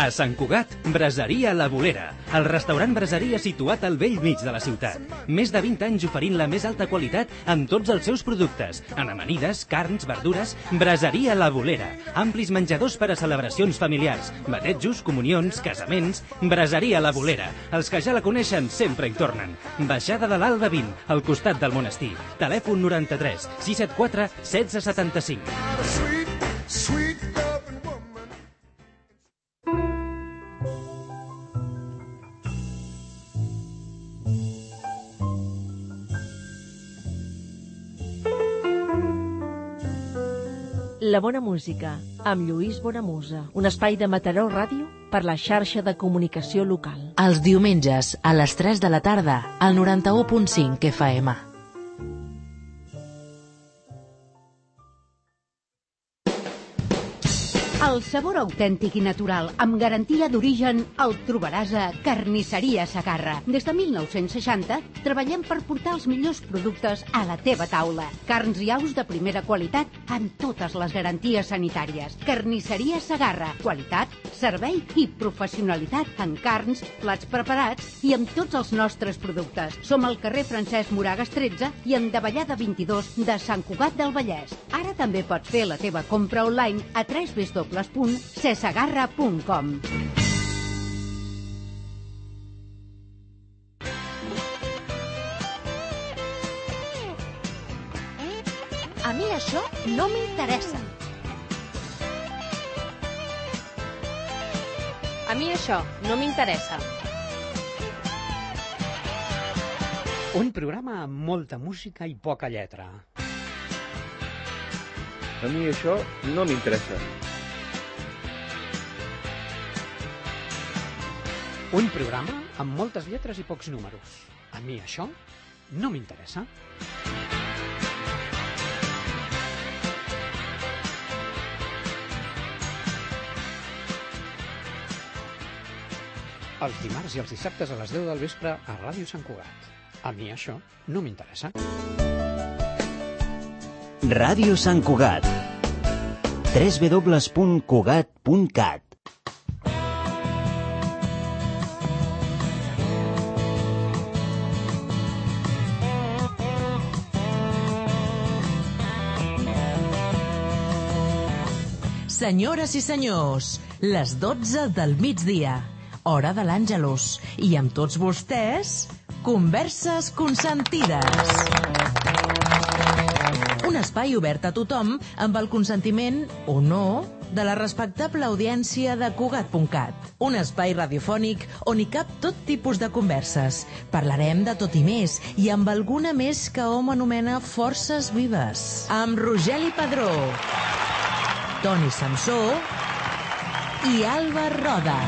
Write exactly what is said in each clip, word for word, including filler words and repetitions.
A Sant Cugat, Braseria La Bolera, el restaurant braseria situat al vell mig de la ciutat. Més de vint anys oferint la més alta qualitat en tots els seus productes. En amanides, carns, verdures, Braseria La Bolera. Amplis menjadors per a celebracions familiars, batejos, comunions, casaments. Braseria La Bolera. Els que ja la coneixen sempre hi tornen. Baixada de l'Alba vint, al costat del monestir. Telèfon noranta-tres sis set quatre setze setanta-cinc. La bona música, amb Lluís Bonamusa. Un espai de Mataró Ràdio per la xarxa de comunicació local. Els diumenges, a les tres de la tarda, al noranta-u punt cinc F M. El sabor autèntic i natural, amb garantia d'origen, el trobaràs a Carnisseria Segarra. Des de mil nou-cents seixanta treballem per portar els millors productes a la teva taula. Carns i aus de primera qualitat amb totes les garanties sanitàries. Carnisseria Segarra. Qualitat, servei i professionalitat en carns, plats preparats i amb tots els nostres productes. Som al carrer Francesc Moragas tretze i en Davallada vint-i-dos de Sant Cugat del Vallès. Ara també pots fer la teva compra online a w w w punt cesegarra punt com. A mi això no m'interessa. A mi això no m'interessa. Un programa amb molta música i poca lletra. A mi això no m'interessa. Un programa amb moltes lletres i pocs números. A mi això no m'interessa. Els dimarts i els dissabtes a les deu del vespre a Ràdio Sant Cugat. A mi això no m'interessa. Ràdio Sant Cugat. w w w punt cugat punt cat. Senyores i senyors, les dotze del migdia, hora de l'Àngelus, i amb tots vostès, Converses Consentides. Un espai obert a tothom amb el consentiment, o no, de la respectable audiència de Cugat punt cat. Un espai radiofònic on hi cap tot tipus de converses. Parlarem de tot i més, i amb alguna més que hom anomena forces vives. Amb Rogeli Padró, Toni Samsó i Alba Roda.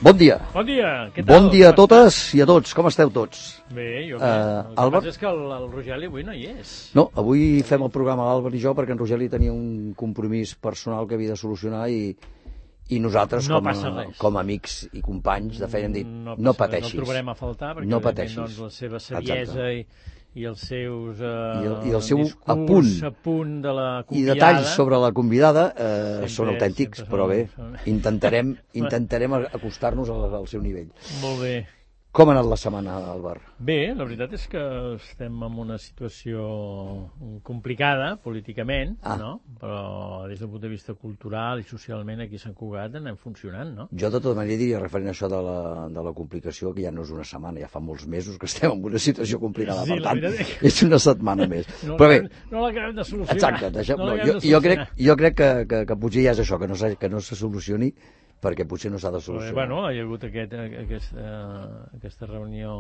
Bon dia. Bon dia. Què tal? Bon dia a totes i a tots. Com esteu tots? Bé, jo bé. Uh, el que Albert? passa és que el, el Rogeli avui no hi és. No, avui fem el programa l'Àlvar i jo perquè en Rogeli tenia un compromís personal que havia de solucionar i, i nosaltres no com, a, com a amics i companys de feina hem dit no, no pateixis. No el trobarem a faltar perquè no pateixis. Doncs, la seva saviesa i, i els seus uh, I, el, i el seu discurs apunt, apunt de la i convidada. detalls sobre la convidada eh, sempre, són autèntics, però bé, són... intentarem, intentarem acostar-nos al, al seu nivell. Molt bé. Com ha anat la setmana, Albert? Bé, la veritat és que estem en una situació complicada políticament, ah. no? Però des del punt de vista cultural i socialment aquí a Sant Cugat anem funcionant, no? Jo de tota manera diria, referent a això de la, de la complicació, que ja no és una setmana, ja fa molts mesos que estem en una situació complicada, sí, per tant, és... és una setmana més. No, Però bé, no l'acabem de solucionar. Exacte, deixem, no no, jo, jo crec, jo crec que, que, que potser ja és això, que no, que no se solucioni, perquè potser no s'ha de solucionar. Bueno, hi ha hagut aquest, aquest, uh, aquesta reunió,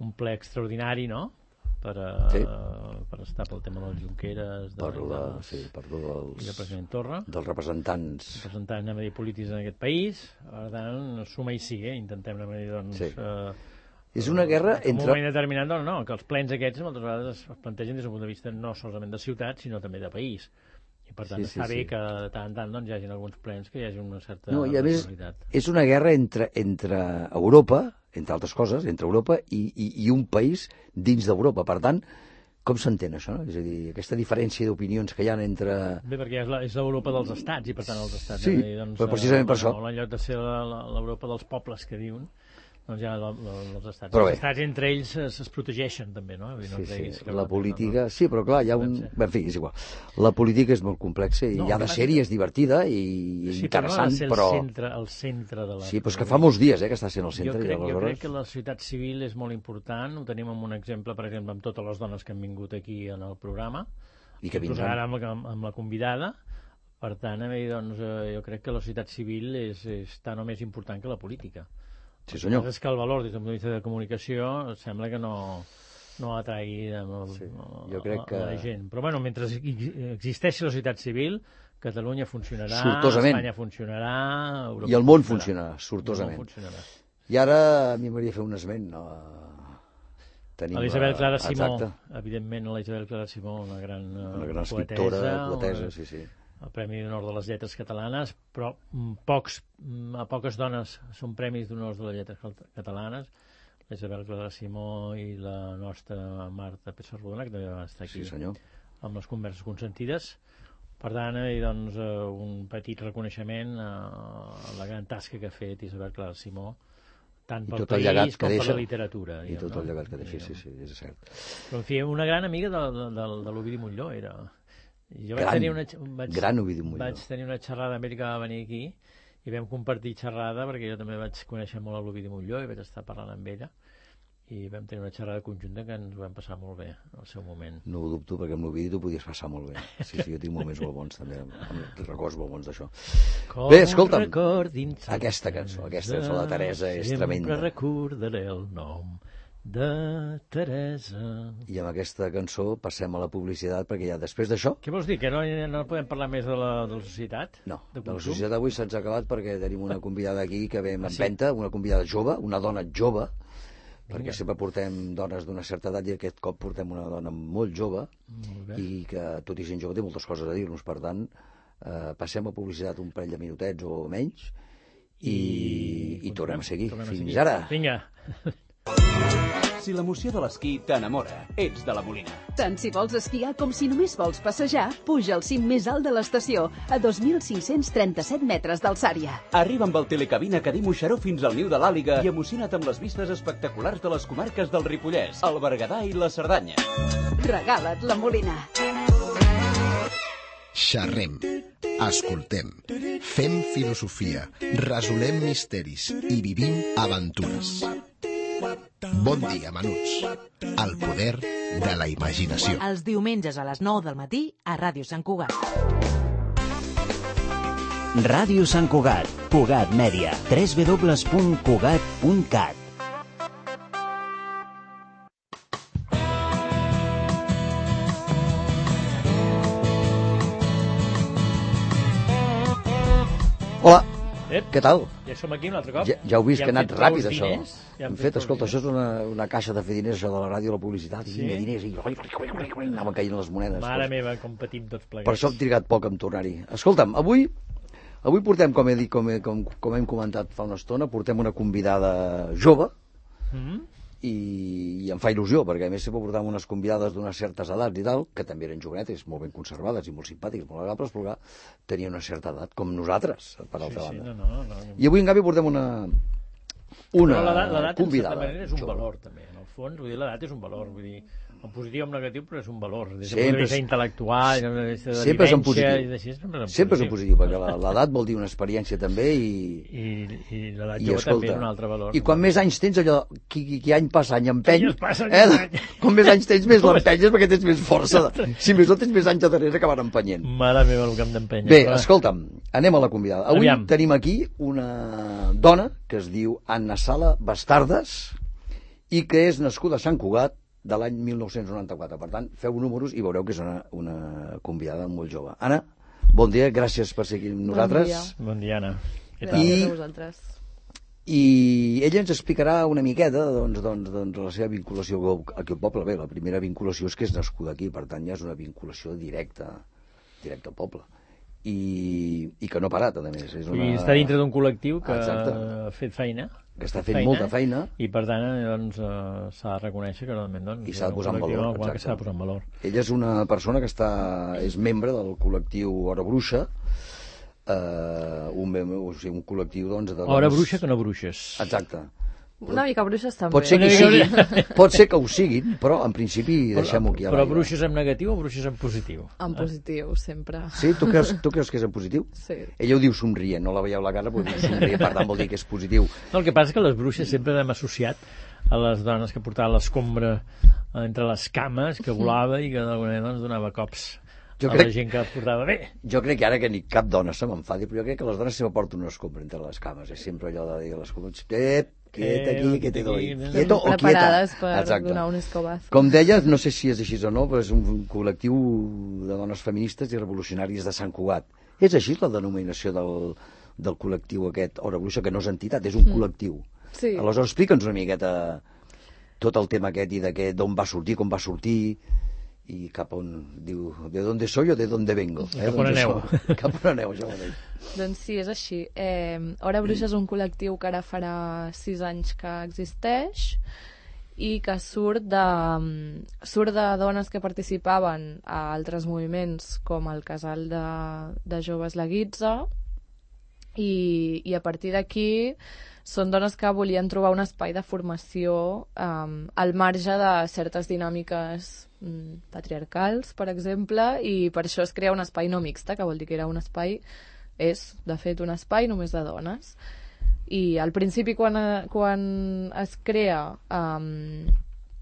un ple extraordinari, no?, per, uh, sí. per estar pel tema dels Junqueras, de, per la, dels, sí, per dels, i del president Torra, dels representants, representants anem a dir, polítics en aquest país. Per tant, suma i sigue, intentem anem a dir, doncs... Sí. Uh, és una guerra en entre... un moment determinat, no, no, que els plens aquests moltes vegades es plantegen des del punt de vista no solament de ciutat, sinó també de país. I per tant sí, està sí, bé sí. que de tant en tant doncs, hi hagi alguns plens que hi hagi una certa no, i a més, responsabilitat. És una guerra entre, entre Europa, entre altres coses, entre Europa i, i, i un país dins d'Europa. Per tant, Com s'entén això, no? És a dir, aquesta diferència d'opinions que hi ha entre... Bé, perquè és la- és l'Europa dels estats, i per tant els estats... Sí, eh, doncs, però precisament per eh, això. En lloc de ser la- la- l'Europa dels pobles que diuen, doncs ja la- la- els estats. Però bé. Els estats entre ells es, es protegeixen també, no? Vull dir, no Sí, ens deguis sí, que la no- política... Sí, però clar, hi ha un... Bé, en fi, és igual. La política és molt complexa i No, hi ha de clar, ser-hi, és divertida i Sí, interessant, però... no ha de ser però... el centre, el centre de la... Sí, però és que fa molts dies eh, que està sent el Jo centre. i crec, jo aleshores- crec que la societat civil és molt important. Ho tenim amb un exemple, per exemple, amb totes les dones que han vingut aquí en el programa. I que Inclús vindran. ara amb, amb, amb la convidada. Per tant, a mi, doncs, eh, jo crec que la societat civil és, és tan o més important que la política. Sí, senyor. El que passa és que el valor des del punt de vista de comunicació sembla que no, no atraigui amb el, Sí, a, jo crec que- a la gent. Però bueno, mentre existeixi la societat civil, Catalunya funcionarà, Sortosament. Espanya funcionarà, Europa I el món funcionarà, sortosament. I el món funcionarà. I ara a mi m'hauria fer un esment, no? Tenim A l'Isabel Clara la- Simó, Exacte. evidentment, a la Isabel Clara Simó, una gran, eh, Una gran poetesa, escriptora, poetesa, una- sí, sí. el Premi d'Honor de les Lletres Catalanes, però mm, pocs, mm, a poques dones són premis d'honors de les lletres cat- catalanes. La Isabel Clara Simó i la nostra Marta Pessarrodona, que també va estar aquí Sí, senyor. amb les converses consentides. Per tant, eh, doncs, eh, un petit reconeixement a la gran tasca que ha fet Isabel Clara Simó, tant I pel tot el llegat país que com per deixa. la literatura. I diguem, tot no? el llegat que deixa, sí, Diguem. sí, és cert. Però, en fi, una gran amiga de, de, de, de l'Ovidi Montllor era. Jo vaig Gran, tenir una, vaig, gran Ovidi Montllor. Vaig tenir una xerrada amb ell que va venir aquí i vam compartir xerrada perquè jo també vaig conèixer molt a l'Ovidi Montllor i vaig estar parlant amb ella i vam tenir una xerrada conjunta que ens ho vam passar molt bé al seu moment. No ho dubto, perquè amb l'Ovidi t'ho podies passar molt bé. Sí, sí, jo tinc moments molt bons, també, amb records molt bons d'això. Com Bé, escolta'm, record dins aquesta cançó, aquesta cançó de la Teresa és tremenda. Sempre recordaré el nom de Teresa. I amb aquesta cançó passem a la publicitat, perquè ja després d'això... Què vols dir, que no, no podem parlar més de la, de la societat? No, de, de la consum? societat avui se'ns ha acabat perquè tenim una convidada aquí que ve amb Ah, sí? empenta, una convidada jove, una dona jove, Vinga. perquè sempre portem dones d'una certa edat i aquest cop portem una dona molt jove Molt bé. i que, tot i sent jove, té moltes coses a dir-nos. Per tant, eh, passem a publicitat un parell de minutets o menys i, i, i tornem a seguir. tornem a Fins seguir. ara. Vinga. Si l'emoció de l'esquí t'enamora, ets de la Molina. Tant si vols esquiar com si només vols passejar, puja al cim més alt de l'estació, a dos mil cinc-cents trenta-set metres d'alçària. Arriba amb el telecabina que diu Moixeró fins al niu de l'Àliga i emociona't amb les vistes espectaculars de les comarques del Ripollès, el Berguedà i la Cerdanya. Regala't la Molina. Xerrem, escoltem, fem filosofia, resolem misteris i vivim aventures. Bon dia, menuts. El poder de la imaginació. Els diumenges a les nou del matí a Ràdio Sant Cugat. Ràdio Sant Cugat, Cugat Mèdia, w w w punt cugat punt cat. Hola, Ep. què tal? Ja som aquí un altre cop. Ja, ja heu vist Ja que ha hem anat fet ràpid, prou això. diners, ja hem hem fet, fet escolta, prou això és una, una caixa de fer diners, això de la ràdio, la publicitat, i Sí? vinga, diners, i anaven caient les monedes. Mare meva, com patim tots plegats. Per això hem trigat poc en tornar-hi. Escolta'm, avui avui portem, com he dit, com, he, com, com hem comentat fa una estona, portem una convidada jove, Mm? i, i em fa il·lusió, perquè a més sempre portàvem unes convidades d'unes certes edats i tal, que també eren jovenetes, molt ben conservades i molt simpàtiques, molt agradables, però clar, tenien una certa edat, com nosaltres, per altra Sí, sí, banda. no, no, no. I avui, en canvi, portem una, una Però l'edat, l'edat, en convidada. certa manera, és un jove. valor, també. En el fons, vull dir, l'edat és un valor. Vull dir, en positiu o en negatiu, però és un valor. Des del Sempre punt de vista és- intel·lectual, des de vista de Sempre és en vivència, positiu. i d'així, sempre és en Sempre és en positiu. positiu, perquè la- l'edat vol dir una experiència també i... I, i l'edat I, jove escolta, també és un altre valor. I quan més anys tens, allò, qui, qui, qui any passa any empeny, Any es passa, any eh? empeny. Com més anys tens, més l'empenyes perquè tens més força. Si més no tens més anys a darrere que van empenyent. Mare meva, el que hem d'empènyer. Bé, però- escolta'm, anem a la convidada. Avui Aviam. tenim aquí una dona que es diu Anna Sala Bastardes i que és nascuda a Sant Cugat de l'any mil nou-cents noranta-quatre. Per tant, feu números i veureu que és una, una convidada molt jove. Anna, bon dia, gràcies per ser aquí amb nosaltres. Bon dia, Anna. Què tal? Gràcies a vosaltres. I ella ens explicarà una miqueta doncs, doncs, doncs, la seva vinculació aquí al poble. Bé, la primera vinculació és que és nascuda aquí, per tant ja és una vinculació directa, directa al poble. i, i que no ha parat, a més. És una... I està dintre d'un col·lectiu que Exacte. ha fet feina. Que està fent feina, molta feina. I, per tant, doncs, s'ha de reconèixer que realment doncs, i s'ha de posar en valor. Que s'ha de posar en valor. Ella és una persona que està, és membre del col·lectiu Hora Bruixa, eh, un, o sigui, un col·lectiu doncs, de dones... Hora bruixa que no bruixes. Exacte. Una mica bruixes també. Pot ser que, sigui, pot ser que ho siguin, però en principi deixem-ho aquí a l'aire. Però bruixes en negatiu o bruixes en positiu? En positiu, sempre. Sí? Tu creus, tu creus que és en positiu? Sí. Ella ho diu somrient, no la veieu la cara, però diu somrient, per tant vol dir que és positiu. No, el que passa és que les bruixes sempre l'hem associat a les dones que portaven l'escombra entre les cames, que volava i que d'alguna manera doncs, donava cops jo a crec, la gent que portava bé. Jo crec que ara que ni cap dona se m'enfadi, però jo crec que les dones sempre porten una escombra entre les cames. És sempre allò de dir a l'escombra, ep, quieta aquí, que te doy. Quieto o quieta. Preparades per Exacte. Donar un escobazo. Com deia, no sé si és així o no, però és un col·lectiu de dones feministes i revolucionàries de Sant Cugat. És així la denominació del, del col·lectiu aquest, Hora Bruixa, que no és entitat, és un mm. col·lectiu. Sí. Aleshores, explica'ns una miqueta tot el tema aquest i de d'on va sortir, com va sortir, i cap on diu, de dónde soy o de dónde vengo. Eh? Cap on aneu. Cap on aneu, això mateix. Doncs sí, és així. Eh, Hora Bruixa és un col·lectiu que ara farà sis anys que existeix i que surt de, surt de dones que participaven a altres moviments com el Casal de, de Joves La Guitza i, i a partir d'aquí són dones que volien trobar un espai de formació um, al marge de certes dinàmiques um, patriarcals, per exemple, i per això es crea un espai no mixta, que vol dir que era un espai, és, de fet, un espai només de dones. I al principi, quan, quan es crea, um,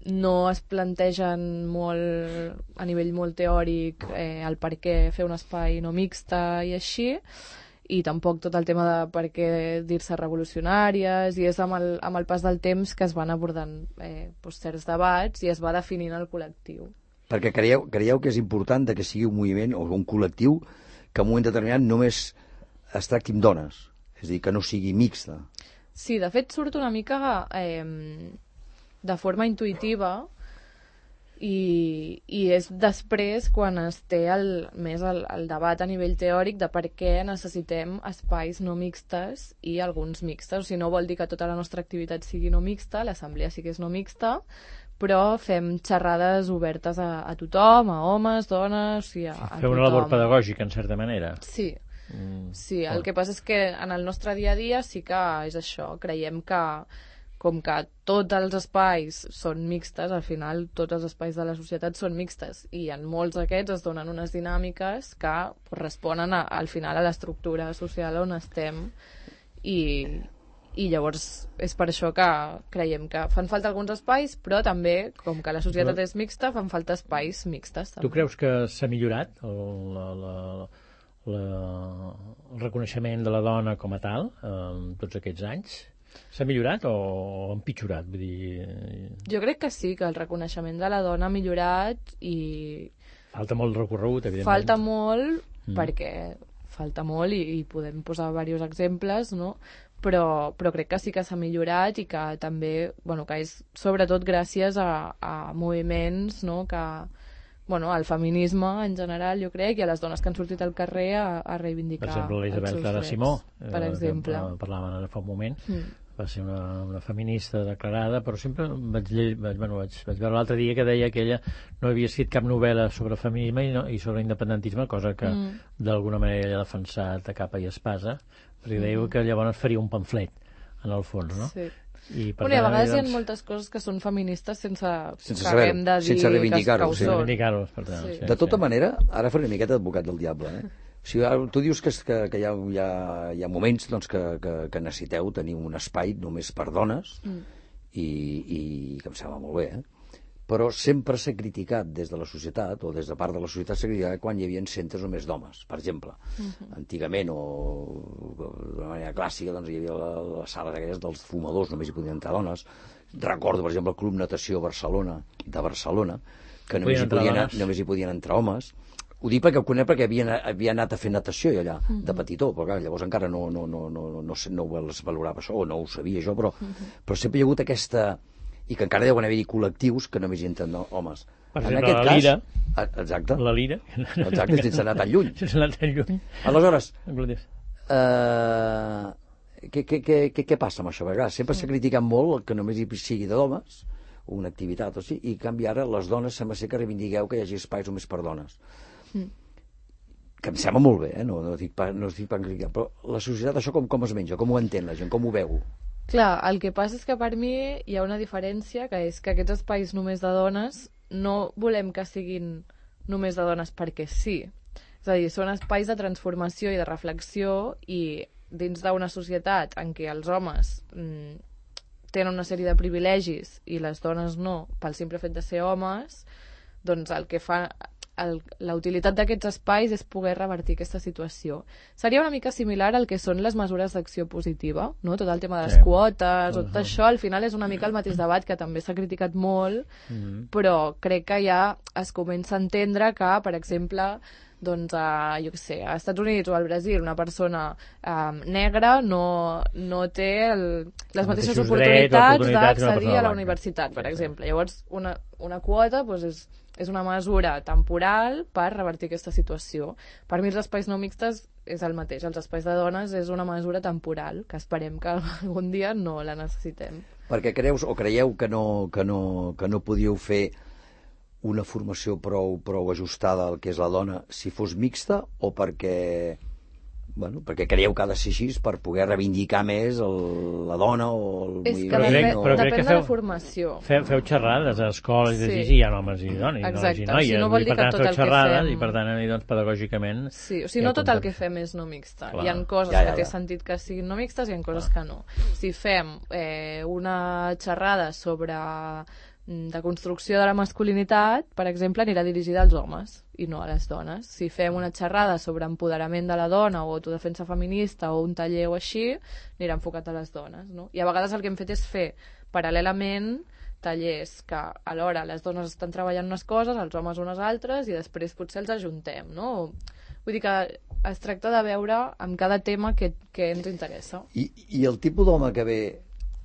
no es plantegen molt, a nivell molt teòric, eh, el per què fer un espai no mixta i així, i tampoc tot el tema de per què dir-se revolucionàries, i és amb el, amb el pas del temps que es van abordant eh, doncs, certs debats i es va definint el col·lectiu. Perquè creieu, creieu que és important que sigui un moviment o un col·lectiu que en un moment determinat només es tracti amb dones, és a dir, que no sigui mixta. Sí, de fet surt una mica eh, de forma intuïtiva i, i és després quan es té el, més el, el debat a nivell teòric de per què necessitem espais no mixtes i alguns mixtes. O sigui, no vol dir que tota la nostra activitat sigui no mixta, l'assemblea sí que és no mixta, però fem xerrades obertes a, a tothom, a homes, dones, i a, a tothom. Fer una labor pedagògica, en certa manera. Sí, mm, sí. El que passa és que en el nostre dia a dia sí que és això. Creiem que com que tots els espais són mixtes, al final tots els espais de la societat són mixtes i en molts d'aquests es donen unes dinàmiques que responen a, al final a l'estructura social on estem i, i llavors és per això que creiem que fan falta alguns espais, però també, com que la societat però... és mixta, fan falta espais mixtes. També. Tu creus que s'ha millorat el, la, la, la, el reconeixement de la dona com a tal en tots aquests anys? S'ha millorat o ha empitjorat? Vull dir... Jo crec que sí, que el reconeixement de la dona ha millorat i... Falta molt recorregut, evidentment. Falta molt, mm. perquè falta molt i, i podem posar diversos exemples, no? Però, però crec que sí que s'ha millorat i que també, bueno, que és sobretot gràcies a, a moviments, no?, que... Bueno, al feminisme en general, jo crec, i a les dones que han sortit al carrer a, a reivindicar els seus drets. Per exemple, l'Isabel Clara Simó, per eh, exemple. Que parlàvem ara fa un moment, mm. va ser una, una feminista declarada, però sempre vaig, vaig, bueno, vaig, vaig veure l'altre dia que deia que ella no havia escrit cap novel·la sobre feminisme i, no, i sobre independentisme, cosa que mm. d'alguna manera ella ha defensat a capa i espasa, perquè mm. deia que llavors faria un pamflet, en el fons, no? Sí. I, bueno, i a vegades doncs... hi ha moltes coses que són feministes sense, sense que haguem de dir sense reivindicar-ho, que, sí. reivindicar-ho per tant, sí. Sí, de tota sí. manera, ara faré una miqueta d'advocat del diable, eh? O sigui, tu dius que, que, que hi, ha, hi, ha, hi ha moments doncs, que, que, que necessiteu tenir un espai només per dones mm. i, i que em sembla molt bé, eh? Però sempre s'ha criticat des de la societat, o des de part de la societat s'ha criticat quan hi havia centres només d'homes, per exemple. Mm-hmm. Antigament, o d'una manera clàssica, doncs hi havia les sales aquelles dels fumadors, només hi podien entrar dones. Recordo, per exemple, el Club Natació Barcelona, de Barcelona, que només hi, podien, només hi podien entrar homes. Ho dic perquè ho conec perquè havia, havia anat a fer natació allà, mm-hmm. de petitó, però clar, llavors encara no, no, no, no, no, no ho valorava això, o no ho sabia això, però, mm-hmm. però sempre hi ha hagut aquesta... i que encara deuen haver-hi col·lectius que només hi entren homes. Per exemple, la Lira. Exacte. La lira. Exacte, sense anar tan lluny. Sense anar tan lluny. Aleshores, eh, què, què, què, què passa amb això? Perquè sempre s'ha criticat molt que només hi sigui de dones, una activitat o sigui, i en canvi ara les dones sembla ser que reivindiqueu que hi hagi espais només per dones. Mm. Que em sembla molt bé, eh? no, no dic per, no estic per criticar, però la societat això com, com es menja, com ho entén la gent, com ho veu? Clar, el que passa és que per mi hi ha una diferència, que és que aquests espais només de dones no volem que siguin només de dones perquè sí. És a dir, són espais de transformació i de reflexió, i dins d'una societat en què els homes mm, tenen una sèrie de privilegis i les dones no, pel simple fet de ser homes, doncs el que fa... El, la utilitat d'aquests espais és poder revertir aquesta situació. Seria una mica similar al que són les mesures d'acció positiva, no? Tot el tema de les sí. quotes, uh-huh. tot això, al final és una mica el mateix debat que també s'ha criticat molt, uh-huh. però crec que ja es comença a entendre que, per exemple, doncs, a, jo què sé, als Estats Units o al Brasil una persona um, negra no, no té el, les mateixes oportunitats d'accedir a la universitat, per exemple. Llavors, una, una quota doncs, és és una mesura temporal per revertir aquesta situació. Per mi els espais no mixtes és el mateix. Els espais de dones és una mesura temporal, que esperem que algun dia no la necessitem. Perquè creus o creieu que no, que no, que no podíeu fer una formació prou, prou ajustada al que és la dona si fos mixta, o perquè... Bueno, perquè creieu que ha de ser així per poder reivindicar més el, la dona o el és que depèn, o... però depèn de feu, la formació. Feu, feu xerrades a escoles sí. i hi ha homes i dones, exacte. I noies, si no vol dir i per tant que tot feu el xerrades que fem... i per tant doncs, pedagògicament... Sí, o sigui, no tot el que fem és no mixta. Clar. Hi ha coses ja, ja, ja. que té sentit que siguin no mixtes i hi ha coses Clar. que no. Si fem eh, una xerrada sobre de construcció de la masculinitat, per exemple, anirà dirigida als homes i no a les dones. Si fem una xerrada sobre empoderament de la dona o autodefensa feminista o un taller o així, anirà enfocat a les dones, no? I a vegades el que hem fet és fer paral·lelament tallers que alhora les dones estan treballant unes coses, els homes unes altres, i després potser els ajuntem, no? Vull dir que es tracta de veure amb cada tema que, que ens interessa. I, i el tipus d'home que ve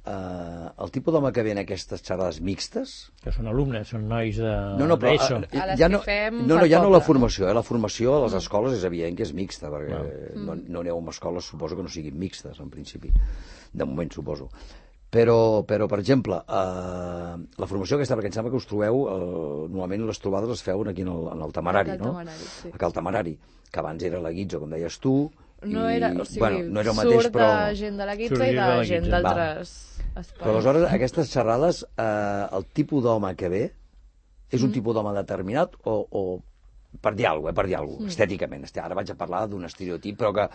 Uh, el tipus d'home que ve en aquestes xerrades mixtes... Que són alumnes, són nois de... No, no, però, a, a les ja no, que fem no, no, ja no la formació, eh? La formació a les escoles és evident que és mixta, perquè mm. no, no aneu a escoles, suposo que no siguin mixtes, en principi. De moment, suposo. Però, però per exemple, uh, la formació aquesta, perquè em sembla que us trobeu, uh, normalment les trobades les feuen aquí en el, en el Temerari, no? Temerari, sí. Aquí al Temerari, que abans era la Guitzo, com deies tu, no era, o sigui, bueno, no era el mateix, surt però... de gent de la Guitza i de, de gent d'altres espais. Però aleshores, aquestes xerrades, eh, el tipus d'home que ve és un mm. tipus d'home determinat o, o per dir alguna cosa, eh, per dir alguna cosa, mm. estèticament. Ara vaig a parlar d'un estereotip, però que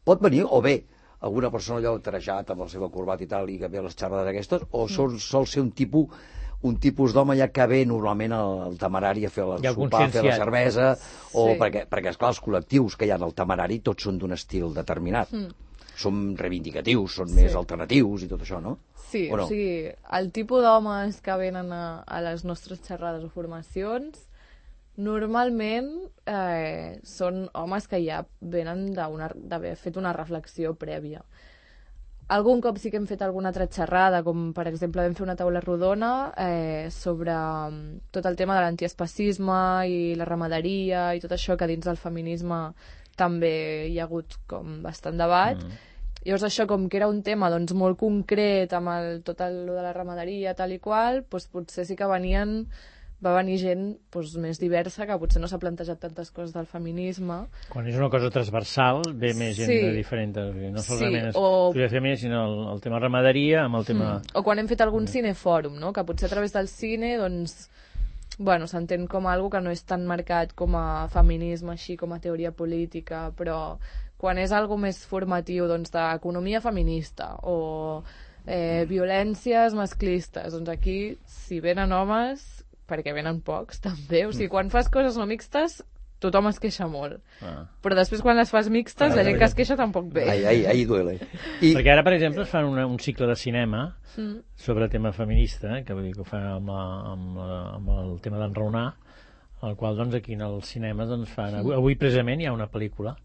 pot venir, o bé, alguna persona allò trajat amb la seva corbata i tal, i que ve a les xerrades aquestes, o mm. sol, sol ser un tipus un tipus d'home ja que ve normalment al, al Temerari a fer el sopar, a fer la cervesa, o sí. perquè, perquè, esclar, els col·lectius que hi ha al Temerari tots són d'un estil determinat. Mm. Són reivindicatius, són sí. més alternatius i tot això, no? Sí, o, no? O sigui, el tipus d'homes que venen a, a les nostres xerrades o formacions normalment eh, són homes que ja venen d'haver fet una reflexió prèvia. Algun cop sí que hem fet alguna altra xerrada, com per exemple vam fer una taula rodona eh, sobre tot el tema de l'antiespacisme i la ramaderia i tot això, que dins del feminisme també hi ha hagut com bastant debat. Mm. Llavors això, com que era un tema doncs, molt concret amb el, tot el de la ramaderia tal i qual, doncs, potser sí que venien va venir gent doncs, més diversa, que potser no s'ha plantejat tantes coses del feminisme. Quan és una cosa transversal, ve més gent sí. de diferent, no solament sí, o... és feminisme, sinó el, el tema ramaderia amb el tema... Mm. O quan hem fet algun cinefòrum, no? Que potser a través del cine, doncs, bueno, s'entén com algo que no és tan marcat com a feminisme, així com a teoria política, però quan és algo més formatiu, doncs, d'economia feminista o eh, violències masclistes, doncs aquí, si venen homes, perquè venen pocs, també. O sigui, quan fas coses no mixtes, tothom es queixa molt. Ah. Però després, quan les fas mixtes, ah, la gent que es queixa tampoc ve. Ai, ai, ai, duele. I... Perquè ara, per exemple, es fan una, un cicle de cinema mm. sobre tema feminista, que vull dir que ho fan amb, la, amb, la, amb el tema d'enraonar, el qual, doncs, aquí en el cinema doncs, fan... Avui, avui, precisament, hi ha una pel·lícula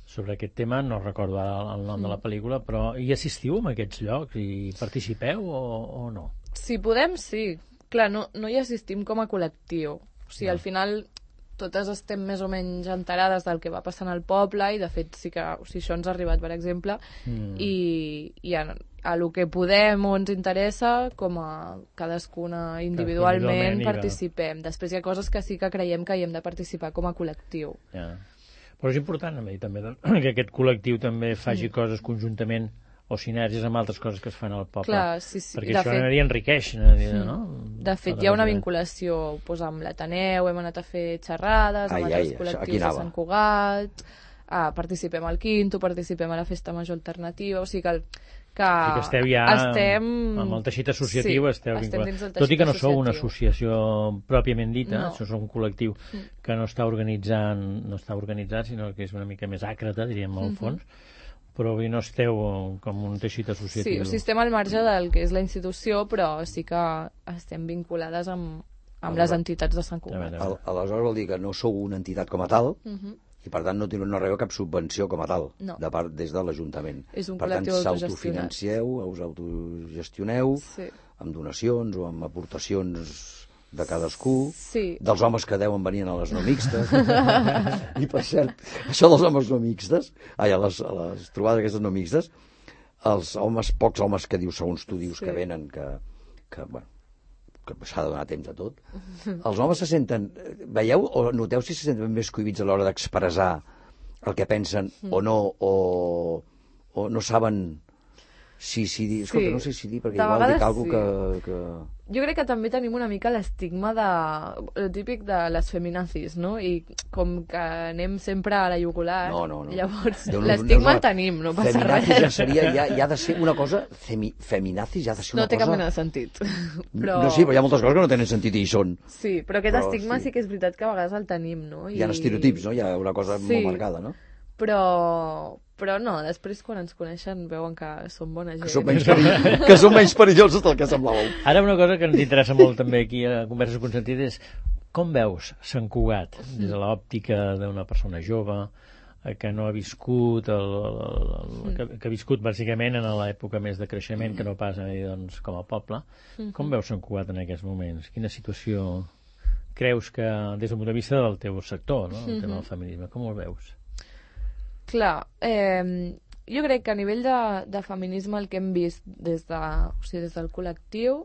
sobre aquest tema, no recordo el, el nom mm. de la pel·lícula, però hi assistiu a aquests llocs i participeu o, o no? Si podem, sí. Clar, no, no hi assistim com a col·lectiu, O sigui, al final totes estem més o menys enterades del que va passant al poble i de fet sí que o sigui, això ens ha arribat, per exemple, mm. i, i a, a lo que podem o ens interessa, com a cadascuna individualment participem. Després hi ha coses que sí que creiem que hi hem de participar com a col·lectiu. Ja. Però és important també que aquest col·lectiu també faci mm. coses conjuntament o sinergies amb altres coses que es fan al poble. Clar, sí, sí. Perquè de això fet, aniria enriqueix, no? De fet, hi ha una vinculació pues, amb l'Ateneu, hem anat a fer xerrades, ai, amb ai, altres col·lectius de Sant Cugat, ah, participem al Quinto, participem a la Festa Major Alternativa, o sigui que... El, que, o sigui que esteu ja estem... amb el teixit associatiu, sí, esteu vinculats. Tot i que no sou una associació pròpiament dita, no. això és un col·lectiu que no està organitzant, no està organitzat, sinó que és una mica més àcrata, diríem, al fons, mm-hmm. però avui no esteu com un teixit associatiu. Sí, o sigui, estem al marge del que és la institució, però sí que estem vinculades amb, amb les entitats de Sant Cugat. Al, aleshores vol dir que no sou una entitat com a tal, uh-huh. i per tant no, no rebeu cap subvenció com a tal, no. de part, des de l'Ajuntament. És un per tant, col·lectiu autogestionat. s'autofinanceu, us autogestioneu, sí. amb donacions o amb aportacions de cadascú, sí. dels homes que deuen venir a les no mixtes. I per cert, això dels homes no mixtes, ai, a, les, a les trobades aquestes no mixtes, els homes, pocs homes que dius, segons tu dius, sí. que venen, que, que, bueno, que s'ha de donar temps a tot, els homes se senten, veieu o noteu si se senten més cohibits a l'hora d'expressar el que pensen mm. o no, o, o no saben... Sí, sí, dir, escolta, sí. no sé si dir, perquè de igual dic alguna cosa sí. que, que... Jo crec que també tenim una mica l'estigma de... el típic de les feminazis, no? I com que anem sempre a la jugular, no, no, no. llavors no, no, l'estigma no, no, el tenim, no passa feminazis res. Ja seria, ja, ja ha de ser una cosa... Femi, feminazis ja ha de ser una no té cosa... cap mena de sentit. Però... No, sí, però hi ha moltes coses que no tenen sentit i hi són. Sí, però aquest però, estigma sí. sí que és veritat que a vegades el tenim, no? I... Hi ha estereotips, no? Hi ha una cosa sí. molt marcada, no? Però... però no, després quan ens coneixen veuen que som bona gent. Que som menys, perill... que som menys perillosos del que semblàveu. Ara una cosa que ens interessa molt també aquí a Converses Consentides és com veus Sant Cugat des de l'òptica d'una persona jove que no ha viscut el, el, el, que, que ha viscut bàsicament en l'època més de creixement que no pas doncs, com a poble. Com veus Sant Cugat en aquests moments? Quina situació creus que des del punt de vista del teu sector, no? El tema del feminisme, com ho veus? Clar, eh, jo crec que a nivell de, de feminisme el que hem vist des, de, o sigui, des del col·lectiu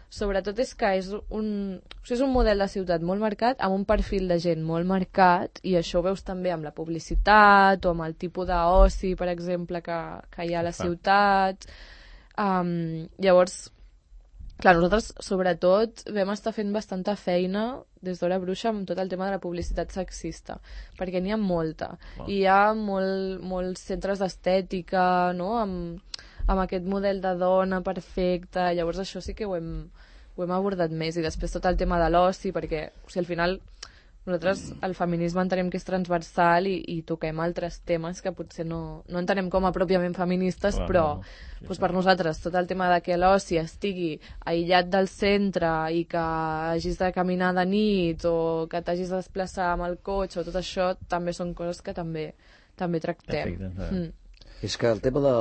sobretot és que és un, o sigui, és un model de ciutat molt marcat amb un perfil de gent molt marcat i això ho veus també amb la publicitat o amb el tipus d'oci, per exemple, que, que hi ha a la ciutat. Um, llavors, clar, nosaltres sobretot vam estar fent bastanta feina des d'Hora Bruixa amb tot el tema de la publicitat sexista, perquè n'hi ha molta. Wow. I hi ha molt, molts centres d'estètica, no?, amb, amb aquest model de dona perfecta, llavors això sí que ho hem, ho hem abordat més. I després tot el tema de l'oci, perquè o sigui, al final nosaltres el feminisme entenem que és transversal i, i toquem altres temes que potser no, no entenem com a pròpiament feministes, wow, però no. Sí, doncs per nosaltres tot el tema de que l'oci estigui aïllat del centre i que hagis de caminar de nit o que t'hagis de desplaçar amb el cotxe o tot això també són coses que també, també tractem. Perfecte, mm. És que el tema de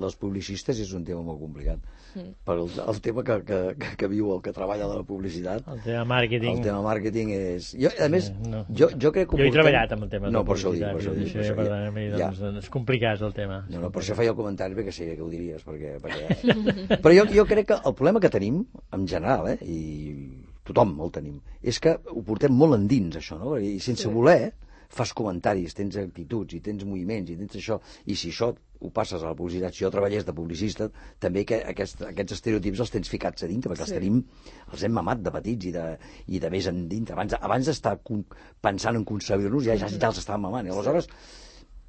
les publicistes és un tema molt complicat. Mm. Per el, el tema que, que, que, que viu el que treballa de la publicitat, el tema màrqueting, el tema màrqueting és... Jo, a més, no. jo, jo crec que... Jo he treballat amb el tema no, de per això dic, per això dic. Per això, per tant, mi, doncs, ja. És complicat el tema. No, no, per això feia el comentari, perquè sé que ho diries, perquè... perquè... Però jo, jo crec que el problema que tenim, en general, eh, i tothom el tenim, és que ho portem molt endins, això, no? I sense sí. voler... fas comentaris, tens actituds i tens moviments i tens això, i si això ho passes a la publicitat, si jo treballés de publicista també que aquest, aquests estereotips els tens ficats a dintre, perquè sí. els tenim, els hem mamat de petits i de, i de més en dintre abans, abans d'estar pensant en concebir-nos ja, ja, ja els estàvem mamant, i aleshores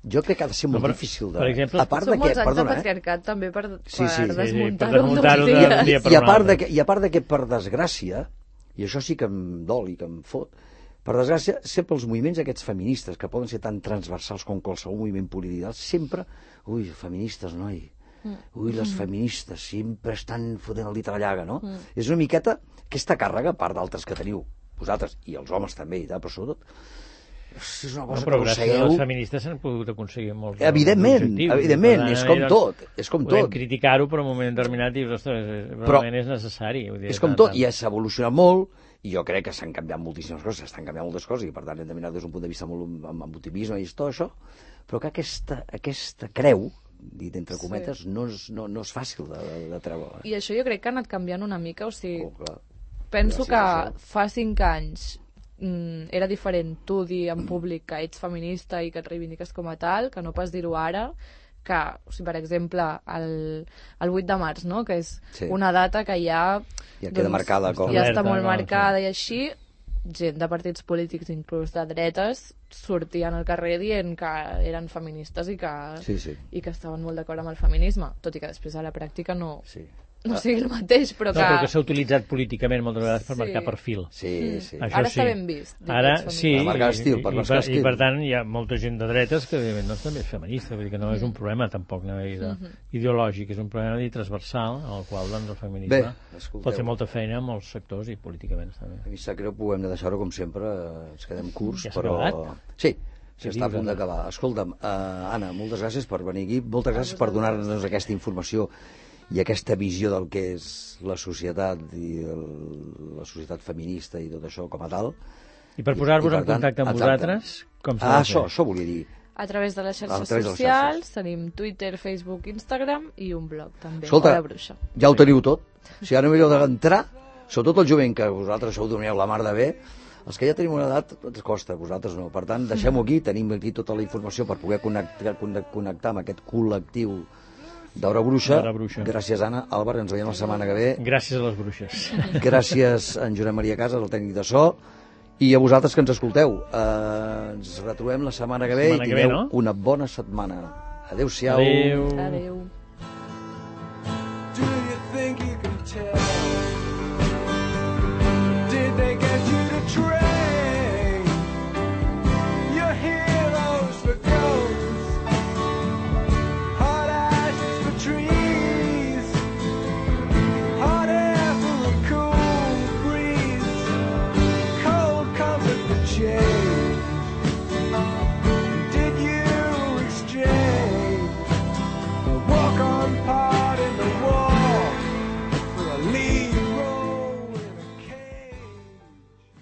jo crec que ha de ser molt no, per, difícil de... Per exemple, a part són de molts que, anys perdona, de patriarcat eh? també per, sí, sí, per sí, desmuntar-ho sí, per desmuntar i, i, i, a part de que, i a part de que per desgràcia, i això sí que em dol i que em fot, per desgràcia, sempre els moviments aquests feministes, que poden ser tan transversals com qualsevol moviment polític, sempre, ui, feministes, noi, ui, les feministes, sempre estan fotent el dit a la llaga, no? Mm. És una miqueta aquesta càrrega, a part d'altres que teniu vosaltres, i els homes també, i tal, però sobretot, és una cosa no, però que gràcies a les feministes s'han pogut aconseguir molts evidentment, evidentment, és com tot, és com tot. Podem criticar-ho, però en un moment determinat dius, ostres, realment és necessari. És com tot, i s'ha evolucionat molt, I jo crec que s'han canviat moltíssimes coses, s'estan canviant moltes coses, i per tant hem de mirar des d'un punt de vista molt amb, amb optimisme i tot això, però que aquesta, aquesta creu, dit entre cometes, sí. no, és, no, no és fàcil de, de, de treure. I això jo crec que ha anat canviant una mica, o sigui, oh, penso que fa cinc anys mm, era diferent tu dir en públic que ets feminista i que et reivindiques com a tal, que no pas dir-ho ara, que, o sigui, per exemple, el, el vuit de març, no? Que és sí. una data que ja... Ja queda doncs, marcada. Com... Ja està molt marcada i així, gent de partits polítics, inclús de dretes, sortien al carrer dient que eren feministes i que, sí, sí. i que estaven molt d'acord amb el feminisme, tot i que després a la pràctica no... Sí. no sigui el mateix, però que... No, però que s'ha utilitzat políticament moltes vegades per sí. marcar perfil. Sí, sí. Això ara sí. està ben vist. Ara sí, per marcar estil, per i, marcar i, estil. i per tant hi ha molta gent de dretes que evidentment no també és feminista, vull dir que no és un problema tampoc no, de, uh -huh. ideològic, és un problema de transversal en el qual doncs, el feminisme Bé, pot fer molta feina en molts sectors i políticament també. A mi sap greu, ho hem de deixar-ho com sempre, ens quedem curts, ja però... Acabat? Sí, sí, està a punt d'acabar. Escolta'm, uh, Anna, moltes gràcies per venir aquí, moltes gràcies per donar-nos aquesta informació i aquesta visió del que és la societat i el, la societat feminista i tot això com a tal. I per posar-vos en contacte amb vosaltres, com s'ha de fer? Ah, això, això volia dir. A través de les xarxes socials, tenim Twitter, Facebook, Instagram i un blog també, Escolta, Hora Bruixa. Ja ho teniu tot. O sigui, ara no millor d'entrar, sobretot el jovent, que vosaltres això ho doneu la mar de bé, els que ja tenim una edat ens costa, vosaltres no. Per tant, deixem-ho aquí, tenim aquí tota la informació per poder connectar, connectar amb aquest col·lectiu d'Hora Bruixa. Bruixa. Gràcies, Anna. Àlvar, ens veiem la setmana que ve. Gràcies a les bruixes. Gràcies a en Josep Maria Casas, el tècnic de so, i a vosaltres que ens escolteu. Uh, ens retrobem la setmana que ve setmana i tingueu ve, no? una bona setmana. Adéu-siau. Adéu. Adéu. Yeah.